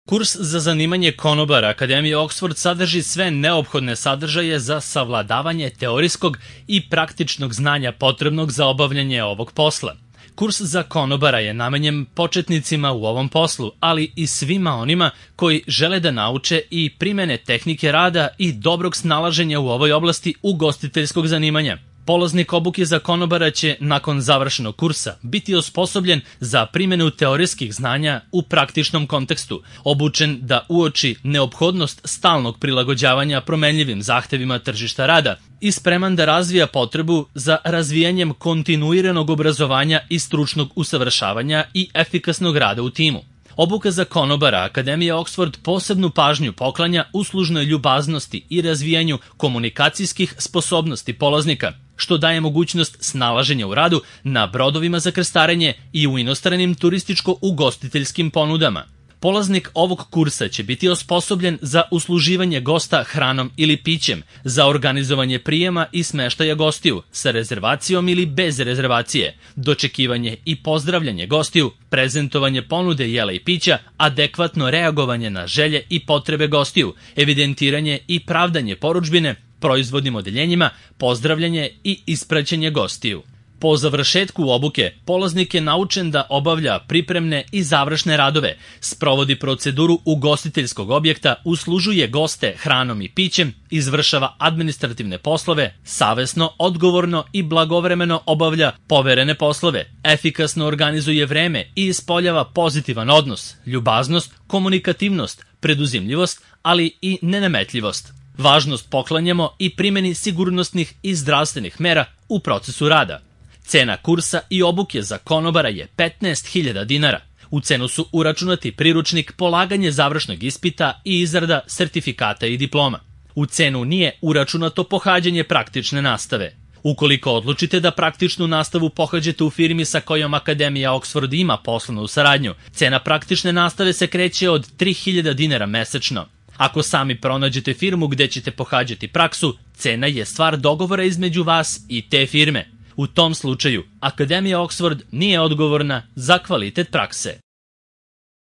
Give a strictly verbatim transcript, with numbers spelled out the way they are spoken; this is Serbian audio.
Kurs za zanimanje konobara Akademije Oxford sadrži sve neophodne sadržaje za savladavanje teorijskog i praktičnog znanja potrebnog za obavljanje ovog posla. Kurs za konobara je namenjen početnicima u ovom poslu, ali i svima onima koji žele da nauče i primene tehnike rada i dobrog snalaženja u ovoj oblasti ugostiteljskog zanimanja. Polaznik obuke za konobara će, nakon završenog kursa, biti osposobljen za primjenu teorijskih znanja u praktičnom kontekstu, obučen da uoči neophodnost stalnog prilagođavanja promenljivim zahtevima tržišta rada i spreman da razvija potrebu za razvijanjem kontinuiranog obrazovanja i stručnog usavršavanja i efikasnog rada u timu. Obuka za konobara Akademije Oxford posebnu pažnju poklanja uslužnoj ljubaznosti i razvijanju komunikacijskih sposobnosti polaznika, što daje mogućnost snalaženja u radu na brodovima za krstarenje i u inostranim turističko-ugostiteljskim ponudama. Polaznik ovog kursa će biti osposobljen za usluživanje gosta hranom ili pićem, za organizovanje prijema i smeštaja gostiju, sa rezervacijom ili bez rezervacije, dočekivanje i pozdravljanje gostiju, prezentovanje ponude jela i pića, adekvatno reagovanje na želje i potrebe gostiju, evidentiranje i pravdanje porudžbine, proizvodnim odeljenjima, pozdravljanje i ispraćenje gostiju. Po završetku obuke, polaznik je naučen da obavlja pripremne i završne radove, sprovodi proceduru ugostiteljskog objekta, uslužuje goste hranom i pićem, izvršava administrativne poslove, savesno, odgovorno i blagovremeno obavlja poverene poslove, efikasno organizuje vreme i ispoljava pozitivan odnos, ljubaznost, komunikativnost, preduzimljivost, ali i nenametljivost. Važnost poklanjamo i primjeni sigurnosnih i zdravstvenih mera u procesu rada. Cena kursa i obuke za konobara je petnaest hiljada dinara. U cenu su uračunati priručnik, polaganje završnog ispita i izrada sertifikata i diploma. U cenu nije uračunato pohađanje praktične nastave. Ukoliko odlučite da praktičnu nastavu pohađate u firmi sa kojom Akademija Oxford ima poslovnu saradnju, cena praktične nastave se kreće od tri hiljade dinara mesečno. Ako sami pronađete firmu gde ćete pohađati praksu, cena je stvar dogovora između vas i te firme. U tom slučaju, Akademija Oxford nije odgovorna za kvalitet prakse.